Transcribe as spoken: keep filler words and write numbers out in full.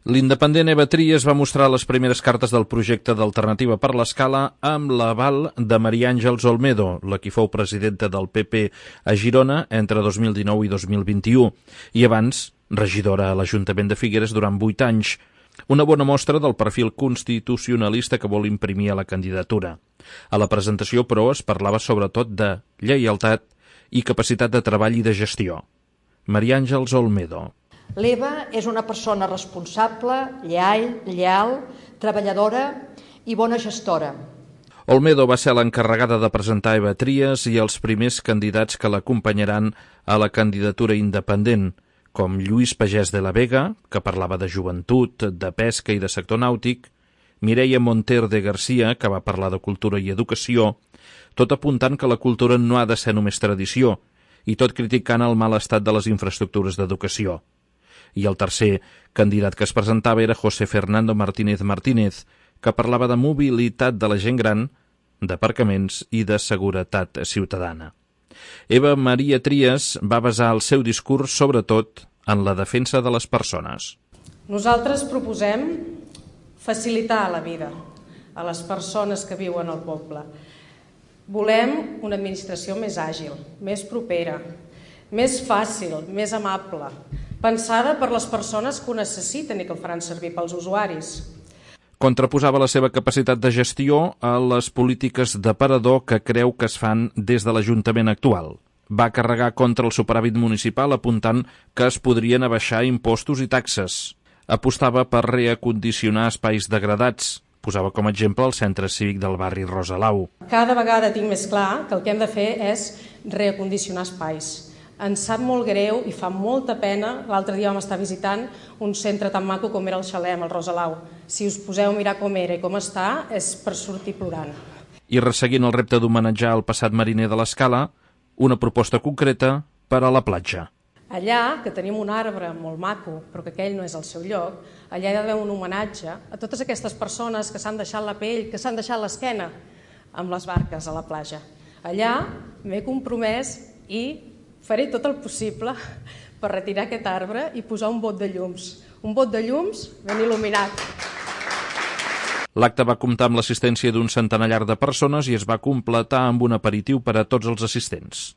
L'independent Eva Trias va mostrar les primeres cartes del projecte d'Alternativa per l'Escala amb l'aval de Maria Àngels Olmedo, la qui fou presidenta del P P a Girona entre dos mil dinou i dos mil vint-i-u, i abans regidora a l'Ajuntament de Figueres durant vuit anys. Una bona mostra del perfil constitucionalista que vol imprimir a la candidatura. A la presentació, però, es parlava sobretot de lleialtat i capacitat de treball i de gestió. Maria Àngels Olmedo. L'Eva és una persona responsable, lleal, lleal, treballadora i bona gestora. Olmedo va ser l'encarregada de presentar Eva Trias i els primers candidats que l'acompanyaran a la candidatura independent, com Lluís Pagès de la Vega, que parlava de joventut, de pesca i de sector nàutic, Mireia Monter de Garcia, que va parlar de cultura i educació, tot apuntant que la cultura no ha de ser només tradició, i tot criticant el mal estat de les infraestructures d'educació. I el tercer candidat que es presentava era José Fernando Martínez Martínez, que parlava de mobilitat de la gent gran, d'aparcaments i de seguretat ciutadana. Eva Maria Trias va basar el seu discurs sobretot en la defensa de les persones. Nosaltres proposem facilitar la vida a les persones que viuen al poble. Volem una administració més àgil, més propera, més fàcil, més amable, pensada per les persones que ho necessiten i que ho faran servir pels usuaris. Contraposava la seva capacitat de gestió a les polítiques d'aparador que creu que es fan des de l'Ajuntament actual. Va carregar contra el superàvit municipal apuntant que es podrien abaixar impostos i taxes. Apostava per reacondicionar espais degradats. Posava com a exemple el centre cívic del barri Rosalau. Cada vegada tinc més clar que el que hem de fer és reacondicionar espais. Ens sap molt greu i fa molta pena. L'altre dia vam estar visitant un centre tan maco com era el Xalem, el Rosalau. Si us poseu a mirar com era i com està, és per sortir plorant. I resseguint el repte d'homenatjar el passat mariner de l'Escala, una proposta concreta per a la platja. Allà, que tenim un arbre molt maco, però que aquell no és el seu lloc, allà hi ha d'haver un homenatge a totes aquestes persones que s'han deixat la pell, que s'han deixat l'esquena amb les barques a la platja. Allà m'he compromès i faré tot el possible per retirar aquest arbre i posar un bot de llums. Un bot de llums ben il·luminat. L'acte va comptar amb l'assistència d'un centenar de persones i es va completar amb un aperitiu per a tots els assistents.